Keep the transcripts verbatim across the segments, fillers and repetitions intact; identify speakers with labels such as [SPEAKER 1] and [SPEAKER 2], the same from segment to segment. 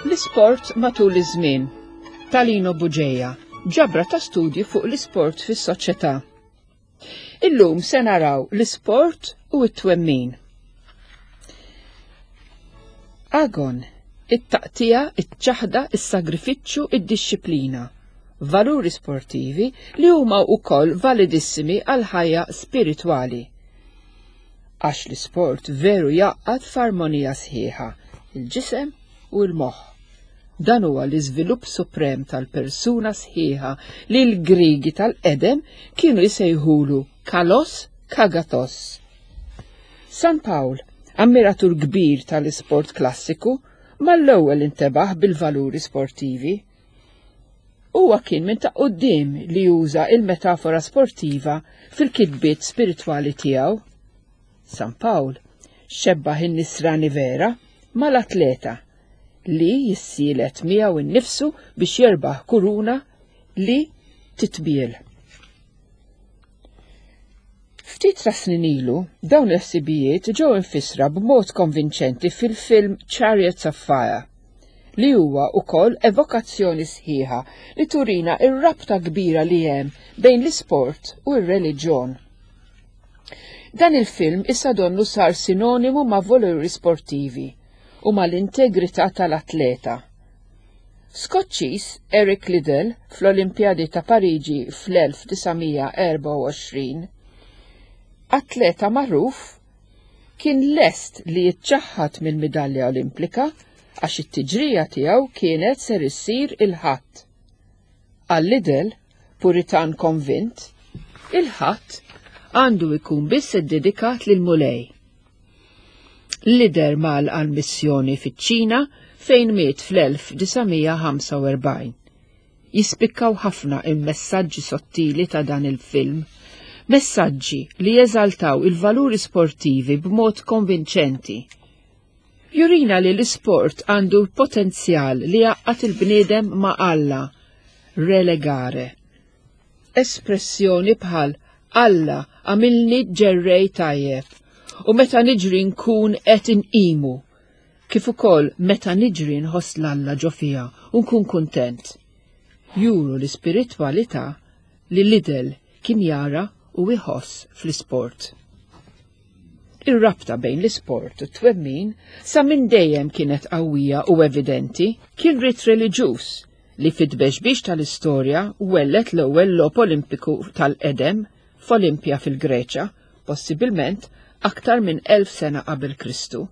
[SPEAKER 1] L-isport matul iż-żmien. Ta' Lino Bugeja, ġabra ta' studji fuq l-isport fis-soċjetà. Illum se naraw l-isport u t-twemmin. Agon, it-taqtija, iċ-ċaħda, is-sagrifiċċju, id-dixxiplina. Valuri sportivi li huma wkoll validissimi għal ħajja spiritwali. Għax l-isport veru jgħaqqad f'armonija sħiħa, il-ġisem u l-moħħ. Dan huwa l-iżvilupp suprem tal-persuna sħiħa li l-Grigi tal-qedem kienu jsejħulu kalos kagathos. San Pawl, ammiratur kbir tal-isport klassiku, mal-ewwel intebaħ bil-valuri sportivi. Huwa kien minn ta' quddiem li juża il-metafora sportiva fil-kitbiet spiritwali tiegħu. San Pawl xebbaħ in-nisrani vera mal-atleta li jissielet miegħu innifsu biex jerbaħ kuruna li titbiel. Ftit ta' snin ilu, dawn il-ħsibijiet ġew infissra b'mod konvinċenti fil-film Chariots of Fire, li huwa wkoll evokazzjoni sħiħa li turina ir-rabta kbira li hemm bejn l-isport u r-reliġjon. Dan il-film issa donnu sar sinonimu ma' valuri sportivi u mal-integrità tal-atleta. Skoċċiż Eric Liddell fl-Olimpjadi ta' Pariġi fl-elf disa' mija erba' u għoxrin, atleta magħruf, kien lest li jiċċaħħad mill-midalja olimpika għax it-tiġrija tiegħu kienet ser issir il-Ħadd. Għal Liddell, puritan konvint, il-Ħadd għandu jkun biss iddedikat lil Mulej. Liddell mal għal missjoni fiċ-Ċina fejn miet fl-elf disa' mija ħamsa u erbgħin. Jispikkaw ħafna il-messaġġi sottili ta' dan il-film, messaġġi li jeżaltaw il-valuri sportivi b'mod konvinċenti. Jurina li l-isport għandu l-potenzjal li jgħaqqad il-bniedem ma' Alla, relegare. Espressjoni bħal Alla għamilni ġerrej tajjeb u meta niġri nkun qed inqimu, kif ukoll meta niġri nħoss l-Alla ġo fija u nkun kuntent. Juru l-ispiritwalità li Liddell kien jara u jħoss fl-isport. Ir-rabta bejn l-isport u t-twemmin sa minn dejjem kienet qawwija u evidenti, kien rit reliġjuż li fit-tbexbix tal-istorja wellet l-ewwel logħob Olimpiku tal-qedem f'Olimpja fil-Greċja, possibilment aktar minn elf sena qabel Kristu.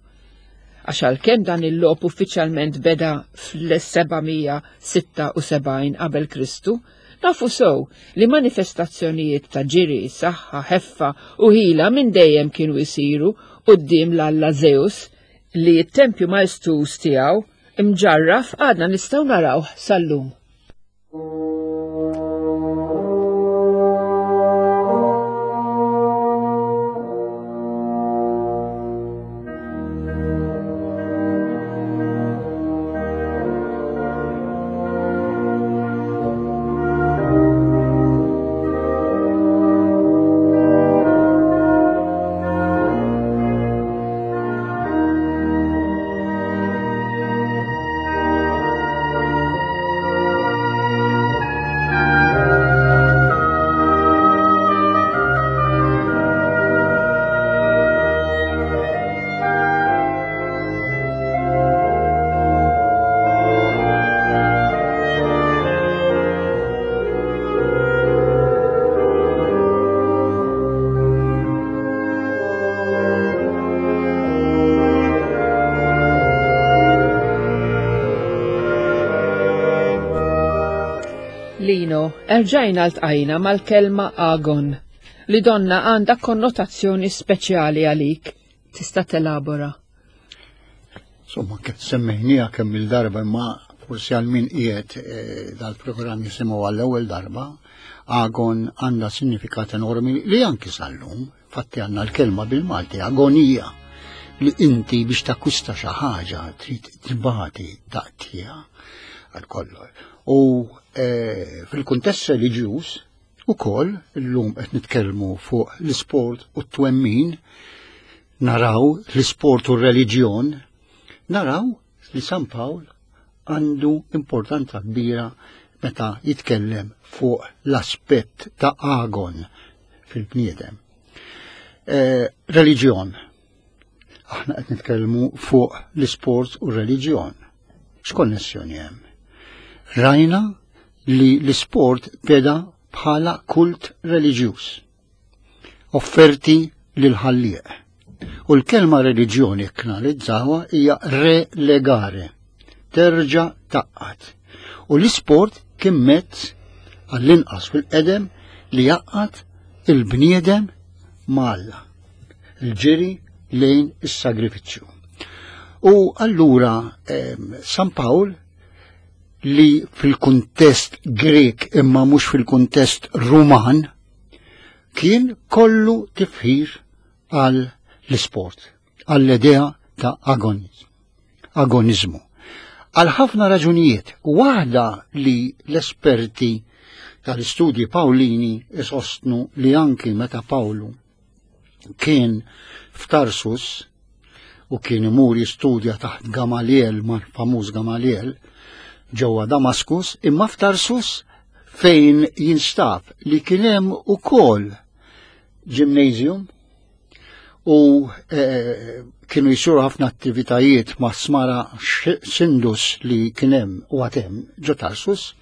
[SPEAKER 1] Għax għalkemm dan il-logħob uffiċjalment beda fl-seba' mija sitta u sebgħin qabel Kristu, nafu sew li manifestazzjonijiet ta' ġiri, saħħa, ħeffa u ħila minn dejjem kienu jsiru quddiem l-Alla Zeus li t-tempju maestuż tiegħu imġarraf għadna nistgħu narawh sal-lum. Lino, erġajna ltqajna mal-kelma agon, li donna għandha konnotazzjoni speċjali għalik. Tista' telabora?
[SPEAKER 2] Insomma, kif semmejnija kemm il-darba, imma forsi għal min qiegħed, eh, dal-programm jisimgħu għall-ewwel darba, agon għandha sinifikat enormi li anki sal-lum, fatti għandna l-kelma bil-Malti, agonija, li inti biex takkwista xi ħaġa trid tibati taqtija għal kollox. U, eh, fil-kuntest reliġjuż ukoll illum qed nitkellmu fuq l-isport u t-twemmin, naraw l-isport u r-reliġjon, naraw li San Pawl għandu importanza kbira meta jitkellem fuq l-aspett ta' agon fil-bniedem. Eh, reliġjon. Aħna qed nitkellmu fuq l-isport u r-reliġjon. X'konnessjoni hemm? Rajna li l-isport beda bħala kult reliġjuż. Offerti lil ħallieq. U l-kelma reliġjoni knalizzawha hija relegare, terġa' taqqat. U l-isport kien mezz għall-inqas fil-qedem li jaqqat il-bniedem ma' Alla, il-ġiri lejn is-sagrifiċċju. U allura San Pawl li fil-kuntest Grek imma mhux fil-kuntest Ruman kien kollu tifħir għal l-isport, għall-idea ta' agonizmu. agonizmu. Għal ħafna raġunijiet, waħda li l-esperti tal-istudji Pawlini isostnu li anki meta Pawlu kien f'Tarsus u kien imur jistudja taħt Gamaliel, mal-famuż Gamaliel, ġewwa Damaskus, imma f'Tarsus fejn jinstab li kien hemm ukoll gymnasium u eh, kienu jisiru ħafna attivitajiet ma' smara Sindus li kien hemm u għatem ġo Tarsus.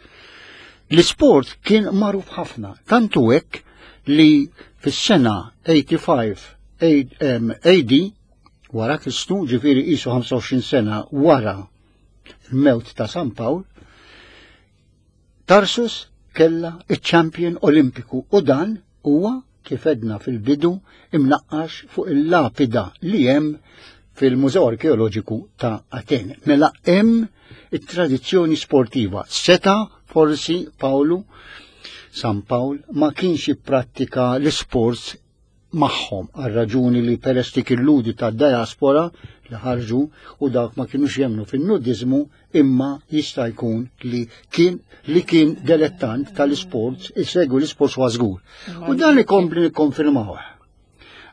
[SPEAKER 2] L-isport kien magħruf ħafna, tantu hekk li fis-sena tmienja u sebgħin A D wara Kristu, ġifieri qisu ħamsa u għoxrin sena wara l-mewt ta' San Pawl, Tarsus kella iċ-champion olimpiku u dan huwa kif edna fil-bidu imnaqqax fuq il-lapida li hemm fil-Mużew Arkeoloġiku ta' Atene. Mela hemm it-tradizzjoni sportiva. Seta forsi Pawlu, San Pawl, ma kienx jipprattika l-sports magħhom għal raġuni li peress li kien ta' diaspora li ħarġu u dak ma kienux jemnu fin-nudizmu, imma jista' jkun li kien li kien delettant tal-sports, isegwi l-sports huwa żgur. U dan ikompli nikkonfermawh.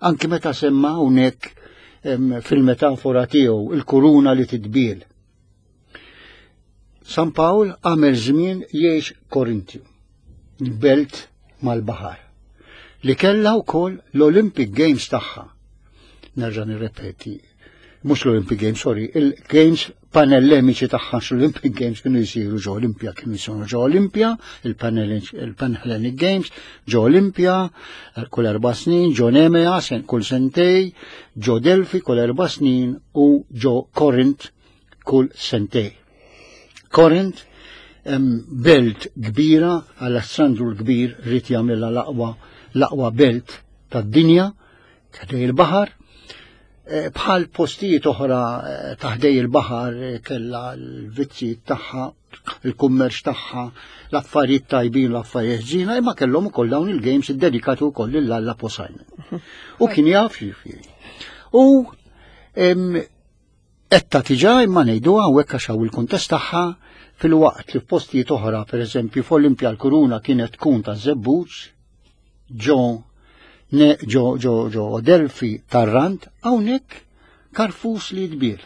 [SPEAKER 2] Anki meta semma hawnhekk fil-metafora tiegħu il-kuruna li titbil. San Pawl għamel żmien jgħix Korintju, belt mal-baħar, li kella wkoll l-Olympic Games tagħha. Nerġa' nirrepeti, mhux l-Olympic Games, sorry, il-Games Panellemiċi tagħha, l-Olympic Games kienu jsiru ġo Olimpja, kienu jsiru ġo Olimpja, il-Panhellenic Games, ġo Olimpja, kull erba' snin, ġo Nemea, kull sentej, ġo Delfi kull erba' snin u ġo Korint kull sentej. Korint, belt kbira, Alessandru l-Kbir ried jagħmilha l-aqwa l-aqwa belt tad-dinja, taħdej il-baħar, bħal postijiet oħra taħdej il-baħar kella l-vizzi tagħha, il-kummerċ tagħha, l-affarijiet tajbin, l-affarijiet ħżiena, imma kellhom ukoll dawn il-games iddedikati wkoll lil Alla Poseidon. U kien jaf ġifieri. U etta tiġa imma ngħidu hawnhekk għax hawn il-kuntest tagħha, fil-waqt li f'postijiet oħra, pereżempju f'Olimpja l-kuruna kienet tkun ta' żebbuġ, ġo ne ġo ġo ġo Delfi tar-rand, hawnhekk karfus li jitbiel.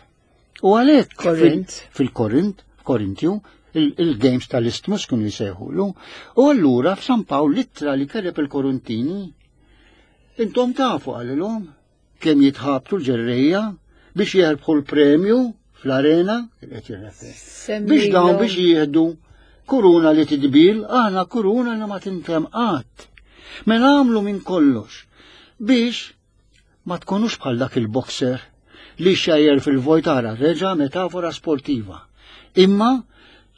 [SPEAKER 2] U għalhekk
[SPEAKER 1] Korint.
[SPEAKER 2] Fil-Korint, Korintju, il-Games tal-Istmus kienu jsejħulu. U allura f'San Pawl l-ittra li keleb il-Korintini, intom tafu għalilhom kemm jitħabtu l-ġerrejja biex jerbħu l-premju fl-arena, biex dawn biex jieħdu kuruna li tidbil, aħna kuruna li ma tintem qatt. Mela għamlu minn kollox biex ma tkunux bħal dak il-boxer li xajjer fil-vojtara, reġa metafora sportiva. Imma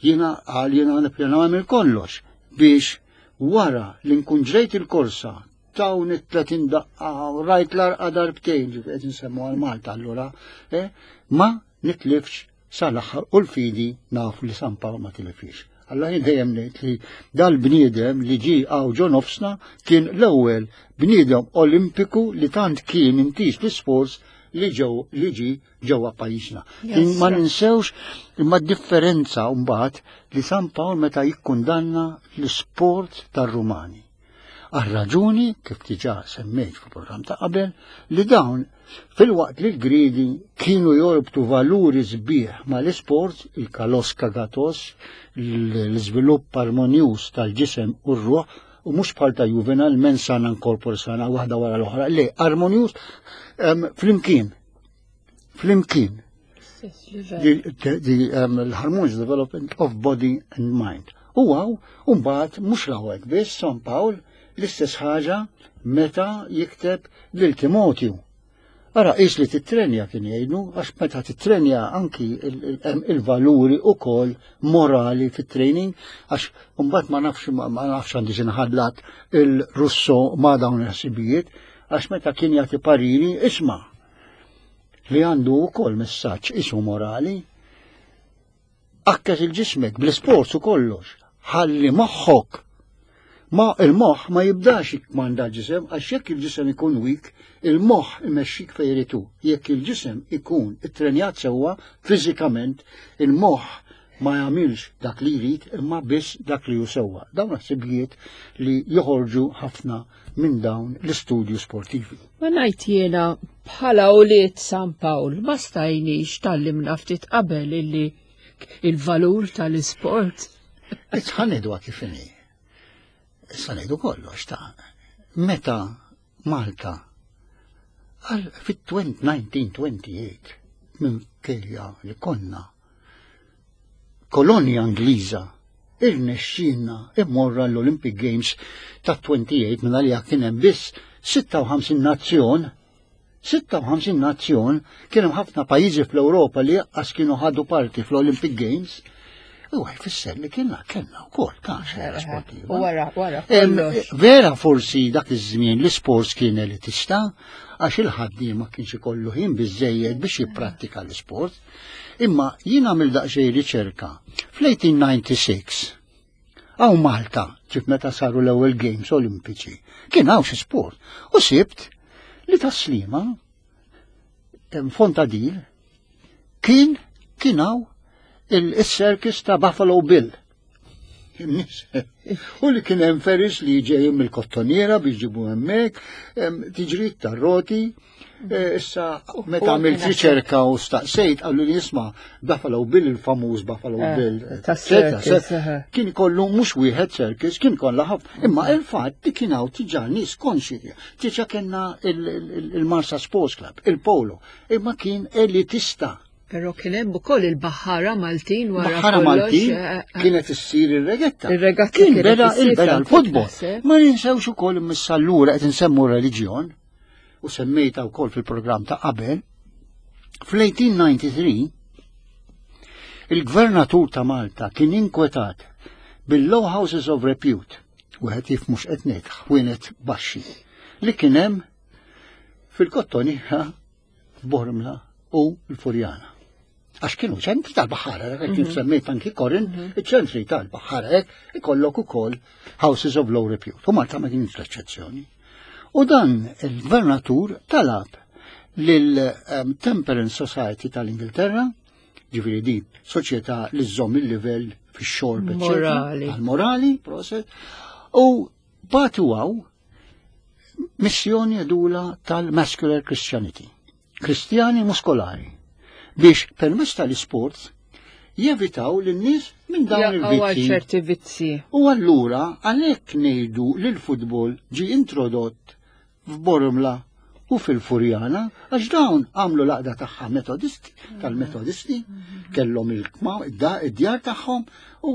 [SPEAKER 2] jiena għal jiena nippjana għamil kollox biex wara li nkun ġrejt il-korsa tawn it-tletin daqqa u rajt l-arqa darbtejn, ġifieri qed nsemmu għal Malta allura, eh, ma nitlifx sal-aħħar u l-fidi nafu li San Pawl ma tilifix. Alla jien dejjem ngħid li dal-bniedem li ġie hawn ġo nofsna kien l-ewwel bniedem olimpiku li tant kien intis l-isports li ġew li ġie ġewwa pajjiżna. Ma ninsewx imma d-differenza mbagħad li San Pawl meta jikkundanna l-isport tar-Rumani. Għal raġuni, kif diġà semmejt fil-programm ta' qabel, li dawn filwaqt li l-Griegi kienu jorbtu valuri sbieħ ma l-isport, il-kalos kagatos, l-iżvilupp armonjuż tal-ġisem u r-ruħ, u mhux bħal ta' Juvenal, mens sana in corpore sana, waħda wara l-oħra, le, armonjuż flimkien. Flimkien. The um, harmonious development of body and mind. U għaw, mbagħad mhux l biss, San Pawl, l-istess ħaġa meta jikteb lil Timotju. Ara, is li titrenja kien jgħidu, għax meta titrenja anki il-valuri u kol morali fit-training, għax mbagħad ma nafx ma nafx għandi nħallat il-Rousseau ma dawn il-ħsibijiet, għax meta kien jagħti pariri, isma' li għandu wkoll messaġġ isu morali, għakkes il-ġismek bl-isport u kollox, ħalli moħħok ma il-moħħ ma jibdax jikmanda l-ġisem, għax jekk il-ġisem ikun weak, il-moħħ imexxik fejn irid. Jekk il-ġisem ikun ittrenjat sewwa fiżikament, il-moħħ ma jagħmilx dak li jrid imma biss dak li hu sewwa. Dawn ħsibijiet li joħorġu ħafna minn dawn l-istudju sportivi.
[SPEAKER 1] Ma ngħid jiena, bħala ulied San Pawl ma stajniex tgħallimna ftit qabel illi il-valur tal-isport.
[SPEAKER 2] Ħa ngħidu kif inhi. Issa ngħidu kollox ta' meta Malta għal fit-elf disa' mija u tmenja u għoxrin minn kelja li konna kolonja Ingliża irnexxinna immorra l-Olympic Games ta' tmienja u għoxrin, minn għalija kien hemm biss sitta u ħamsin nazzjon. sitta u ħamsin nazzjon, kien hemm ħafna pajjiżi fl-Ewropa li qas kienu ħadu parti fl-Olympic Games. U jfisser li kienna kellna wkoll ta' xena sportiva.
[SPEAKER 1] U wara, wara, kollox.
[SPEAKER 2] Vera forsi dak iż-żmien l-isports kien elitista, għax il-ħaddiem ma kienx ikollu ħin biżejjed biex jipprattika l-isport. Imma jien għamil daqsxejn riċerka. Fl-elf disa' mija u disgħa u disgħin hawn Malta, ġif meta saru l-ewwel Games Olimpiċi, kien hawn xi sport. U sibt li Tas-Sliema Fontadil kien kien hawn il-circus ta' Buffalo Bill. U li kien hemm ferries li ġejjin mill-Kottoniera biex ġibu hemmhekk, tiġrid tar-roti. E, issa meta għamilt riċerka u staqsejt, qallu li jisma' Buffalo Bill, il-famuż Buffalo eh, Bill. Kien kollu mhux wieħed circus, kien kollha ħafna. Imma il-fatt li kien hawn diġà nies konxi. Diġà kellna il-Marsa Sports Club, il-Polo, imma kien elitista.
[SPEAKER 1] Pero kien hemm ukoll il-baħħara Maltin wara.
[SPEAKER 2] Baħħara Maltin, eh, eh, kienet issir ir-regatta.
[SPEAKER 1] Ir-regatta.
[SPEAKER 2] Kien beda il-beda l-futbol. Ma ninsewx ukoll missallura qed insemmu reliġjon u semmejta wkoll fil-programm ta' qabel. Fl-elf disa' mija u tnejn u disgħin il-gvernatur ta' Malta kien inkwetat bil-low houses of repute, wieħed jif mhux qed ngħid ħwienet baxxi, li kien hemm fil-Kottoniera, f'Bormla u l-Furjana. Għax kienu ċentri tal-baħħara, kif mhm. semmejt anki Korin, mhm. iċ-ċentri tal-baħħara hekk ikollok ukoll houses of low repute. U Malta ma kienx l-eċċezzjoni. U dan il-gvernatur talab lil-Temperance Society tal-Ingilterra, ġifieri di soċjetà li żżomm il-livell fix-xorb,
[SPEAKER 1] Morali.
[SPEAKER 2] Morali, proset, u bagħtu hawn missjoni għedula tal-Muscular Christianity. Kristjani muskolari biex permezz tal-isport jevitaw lin-nies minn dawn il-vizzi.
[SPEAKER 1] Ċerti vizzi.
[SPEAKER 2] U allura għalhekk ngħidu li l-futbol ġi introdott f'Bormla u fil-Furjana, għax dawn għamlu l-għaqda tagħha metodisti, tal-metodisti, kellhom il-djar tagħhom u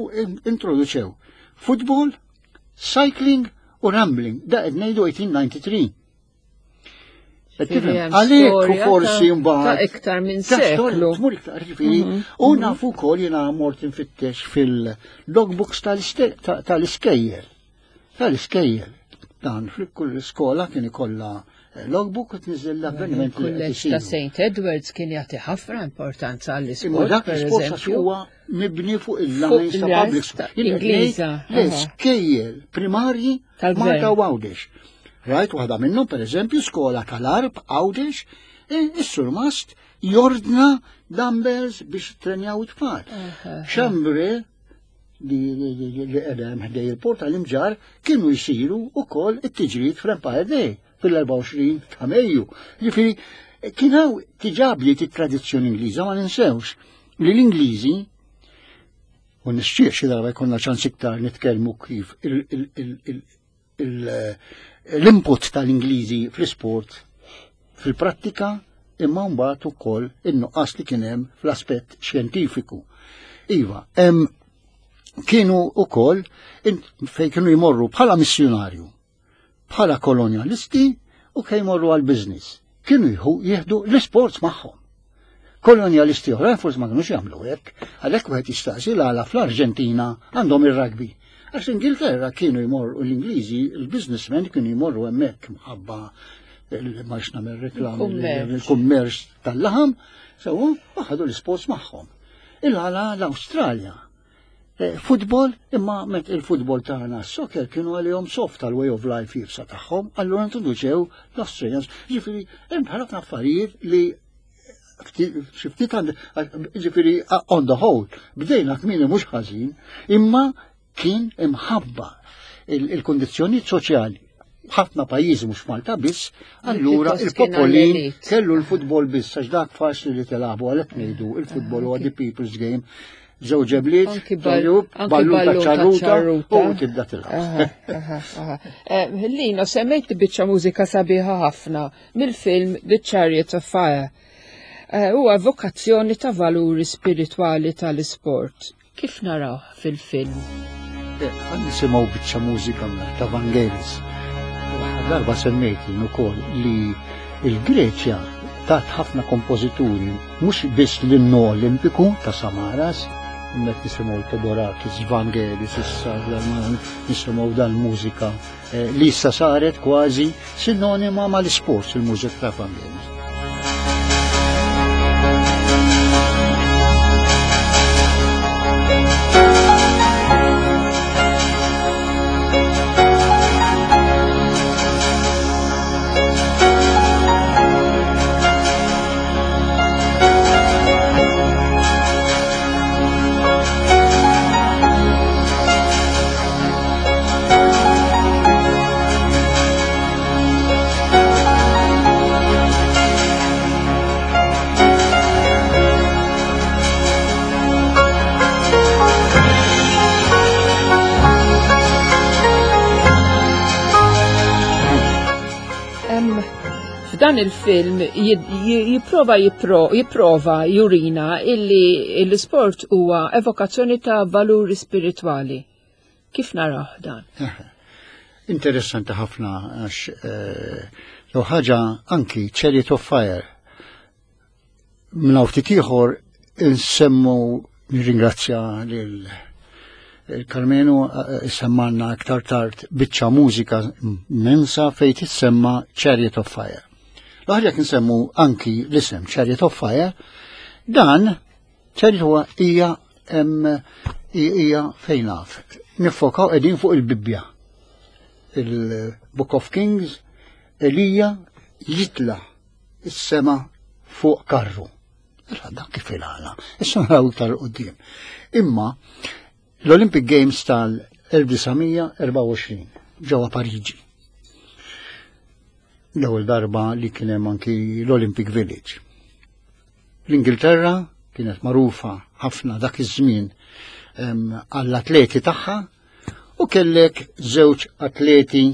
[SPEAKER 2] introduċew futbol, cycling u rambling. Da qed ngħidu elf disa' mija u tnejn u disgħin. Għalhekk u forsi mbagħad.
[SPEAKER 1] Ta' iktar minn seklu.
[SPEAKER 2] Tmur iktar, ġifieri, u nafu wkoll jiena mort infittex fil-logbooks tal-iskejjel. Tal-iskejjel. Dan fil-kull skola kien ikollha eh, logbook u tniżel l-avveniment li qed
[SPEAKER 1] Kulleġġ ta'
[SPEAKER 2] isiru.
[SPEAKER 1] Saint Edwards kien jagħti ħafna importanza
[SPEAKER 2] Imma
[SPEAKER 1] għall-isport,
[SPEAKER 2] dak
[SPEAKER 1] per
[SPEAKER 2] l-isport għax
[SPEAKER 1] eżempju.
[SPEAKER 2] huwa mibni fuq il-lines
[SPEAKER 1] Fuq
[SPEAKER 2] ta'
[SPEAKER 1] il-lines
[SPEAKER 2] public school.
[SPEAKER 1] ta'
[SPEAKER 2] Jien qed
[SPEAKER 1] Ingliża,
[SPEAKER 2] ngħid l-iskejjel primarji
[SPEAKER 1] Tal-gvern.
[SPEAKER 2] Malta u Għawdex. Rajt waħda minnhom, per eżempju, skola tal-Għarb Għawdex, e, is-surmast jordna dumbbells biex trenjaw it-tfal. Xambre li qiegħda hemm ħdej il-port tal-Imġarr kienu jsiru wkoll it-tiġrijiet fl-Empire Day fil-erbgħa u għoxrin ta' Mejju. Ġifieri kien hawn diġà bdiet it-tradizzjoni Ingliża, ma ninsewx li l-Ingliżi, u nixtieq xi darba jkollna ċans iktar nitkellmu kif l-input tal-Ingliżi fl-isport fil-prattika, imma mbagħad ukoll in-nuqqas li kien hemm fl-aspett xjentifiku. Iva, hemm kienu ukoll fejn kienu jmorru bħala missjonarju, bħala kolonjalisti u kej jmorru għal-business. Kienu jieħdu l-isports magħhom. Kolonjalisti oħrajn forsi ma kinux jagħmlu hekk, għalhekk wieħed jistaqsi l-għala fl-Arġentina għandhom ir-rugby. Għax l-Ingilterra kienu jmorru, l-Ingliżi, il-businessmen kienu jmorru hemmhekk mħabba ma nagħmel reklam il-kummerċ tal-laħam, sewa ħadu l-isports magħhom. Il-għala l-Awstralja. Futbol, imma met il-futbol tagħna s-soccer kienu għalihom soft tal-way of life jibsa tagħhom, allura introduċew l-Australians. Ġifieri hemm ħafna affarijiet li xi ftit ġifieri on the whole, bdejna kmieni mhux ħażin, imma kien imħabba il-kondizzjonijiet soċjali. Ħafna pajjiżi mhux Malta biss, allura il-popolin kellu l-futbol biss, għax dak faċli li tilagħbu, għalhekk ngħidu il-futbol huwa the people's game. Żewġ ġebliet, ballun ta' ċarruta u tibda tilgħab.
[SPEAKER 1] Lino, semmejt biċċa mużika sabiħa ħafna mill-film The Chariot of Fire. Huwa evokazzjoni ta' valuri spiritwali tal-isport. Kif naraw fil-film?
[SPEAKER 2] Għan nisimgħu biċċa mużika ta' Vangelis. Darba semmejt ukoll li il-Greċja tat ħafna kompożituri, mhux biss l-innu Olimpiku ta' Samaras, met nisimgħu Theodorakis, Vangelis, issa nisimgħu dal-mużika li issa saret kważi sinonima mal-isports, il-mużika ta' Vangelis.
[SPEAKER 1] F'dan il-film jipprova jipprova jurina illi l-isport huwa evokazzjoni ta' valuri spiritwali. Kif naraw dan?
[SPEAKER 2] Interessanti ħafna għax law ħaġa anki Chariot of Fire. Minn hawn ftit ieħor insemmu nirringrazzja lil Karmenu semmanna aktar tard biċċa mużika immensa fejn tissemma Chariot of Fire. L-aħjar jekk nsemmu anki l-isem Chariot of Fire, dan Chariot huwa hija hija fejn naf. Nifokaw qegħdin fuq il-Bibbja. Il-Book of Kings, Elija jitla is-sema fuq karru. Dan kif il-għala. Issa naraw iktar quddiem. Imma l-Olympic Games tal-elf disa' mija erbgħa u għoxrin ġewwa Pariġi. L-ewwel darba li kien hemm anki l-Olympic Village. L-Ingilterra kienet magħrufa ħafna dak iż-żmien għall-atleti tagħha u kellek żewġ atleti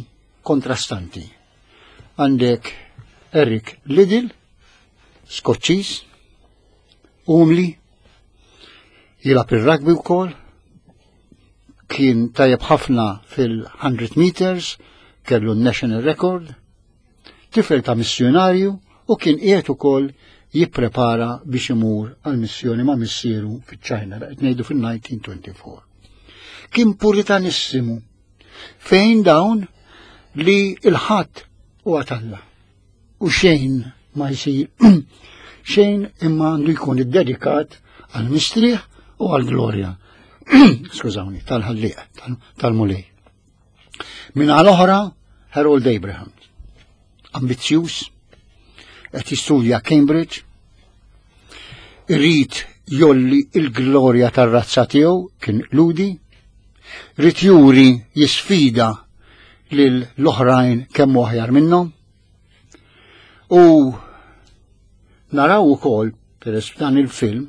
[SPEAKER 2] kontrastanti. Għandek Eric Liddell, Skoċċiż, umli, jilgħab ir-rugby wkoll, kien tajjeb ħafna fil-hundred meters, kellu n-national record, tifel ta' missjonarju u kien qiegħed ukoll jipprepara biex imur għal missjoni ma' missieru fiċ-Ċina, qed ngħidu fil-nineteen twenty-four. Kien puritanissimu fejn dawn li il-ħadd huwa t'Alla u xejn ma jsir xejn imma għandu jkun iddedikat għal mistrieħ u għall-glorja. Skużawni, tal-ħallieq, tal-Mulej. Min għal oħra, Harold Abraham, ambizzjuż, qed jistudja Cambridge, irid jolli il-glorja tar-razza tiegħu, kien ludi, Ried juri, jisfida lil l-oħrajn kemm aħjar minnhom. U naraw ukoll peress f'dan il-film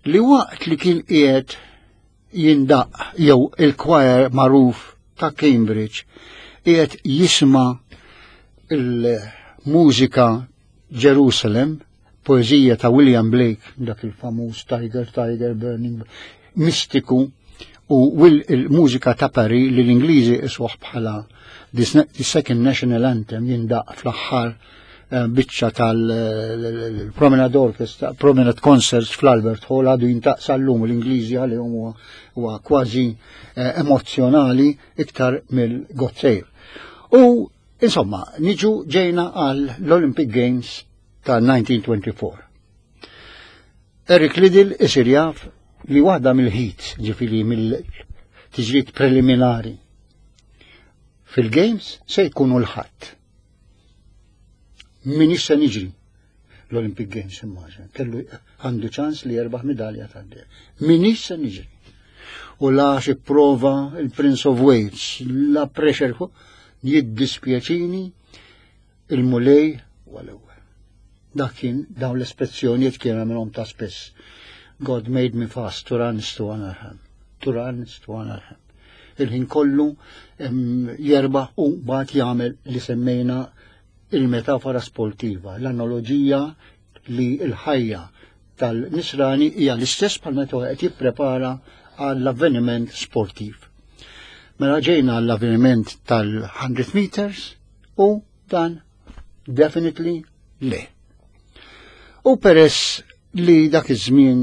[SPEAKER 2] li waqt li kien qiegħed jindaq jew il-choir magħruf ta' Cambridge qiegħed jisma' il-mużika Jerusalem, poezija ta' William Blake, dak il-famuż "Tiger, Tiger, Burning", mistiku, u il-mużika ta' Paris li l-Ingliżi isuh bħala the Second National Anthem, jindaq fl-aħħar eh, biċċa tal-Promenade Orchestra, Promenade Concerts fl-Albert Hall, għadu jindaq sal-lum. L-Ingliżi għalihom huwa kważi eh, emozjonali iktar mill-God Save. U insomma, niġu ġejna għal l-Olympic Games tal-elf disa' mija u erbgħa u għoxrin. Eric Liddell isir jaf li waħda mill-heats, ġifieri mill-tiġrijiet preliminari fil-Games, se jkunu l-Ħadd. Min se niġri l-Olympic Games, immaġina, kellu għandu ċans li jerbaħ medalja tad-deheb. Min se niġri? U la prova il-Prince of Wales, la pressure, jiddispjaċini, il-Mulej u l-ewwel. Dak kien, dawn l-espressjonijiet kien għamilhom ta' spess. "God made me fast to run to honor him. To run to honor him." Il-ħin kollu jerbaħ u mbagħad jagħmel li semmejna il-metafora sportiva, l-analogija li l-ħajja tal-nisrani hija l-istess bħal meta qed jipprepara għall-avveniment sportiv. Mela ġejna għall-avveniment tal-mija meters u dan definitely le. U peress li dak iż-żmien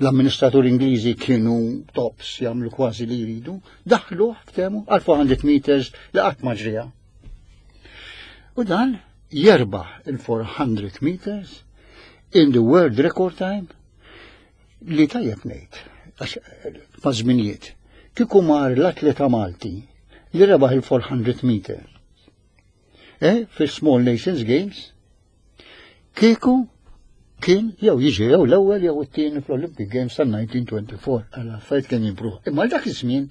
[SPEAKER 2] l-amministratur Ingliżi kienu tops, jagħmlu kważi li jridu, daħlu ftehmu għal erba' mija meters li qatt ma ġrija. U dan jerbaħ il-erba' mija meters in the world record time li, tajjeb ngħid, għax ma' żminijiet, kieku mar l-atleta Malti li rebaħ il-erba' mija meter eh, fil-Small Nations Games, kieku kien jew jiġi jew l-ewwel jew it-tieni fl-Olympic Games tal-elf disa' mija u erbgħa u għoxrin, għal affarijiet kien jimpruv. Imma dak iż-żmien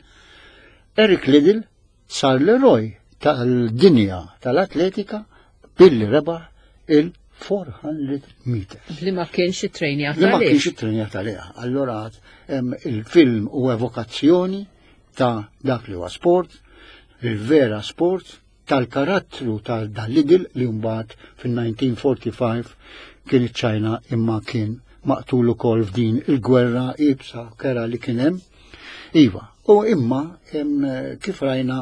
[SPEAKER 2] Eric Liddell sar l-eroj tal-dinja tal-atletika billi rebaħ il-erba' mija meters.
[SPEAKER 1] Li ma kienx it-trejnjat.
[SPEAKER 2] Li ma kienx it-trejnjat għaliha. Allora il-film u evokazzjoni ta' dak li huwa sport, il-vera sport, tal-karattru tal-Liddell li mbagħad fil-elf disa' mija u erbgħa u erbgħin kien iċ-Ċajna imma kien maqtul ukoll f'din il-gwerra iebsa kerha li kien hemm. Iva, u imma kif rajna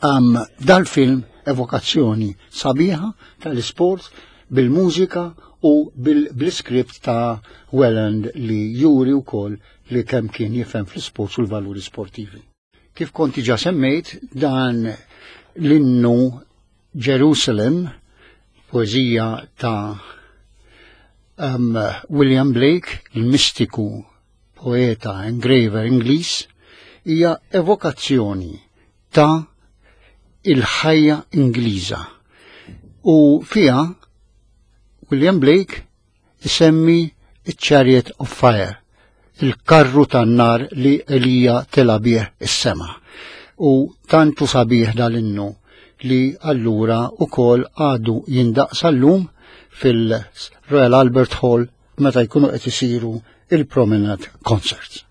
[SPEAKER 2] um, dal-film evokazzjoni sabiħa tal-sport bil-mużika u bil-skript ta' Welland li juri wkoll li kemm kien jifhem fl-sport u l-valuri sportivi. Kif konti ġa semmejt, dan l-innu Jerusalem, poezija ta' um, William Blake, il-mistiku poeta, engraver Ingliż, hija evokazzjoni ta' il-ħajja Ingliża. U fija William Blake isemmi il-Chariot of Fire, il-karru tan-nar li Elija tela bih is-sema. U tantu sabiħ dal-innu li allura ukoll għadu jindaq sal-lum fil-Royal Albert Hall meta jkunu qed isiru il-Promenade Concerts.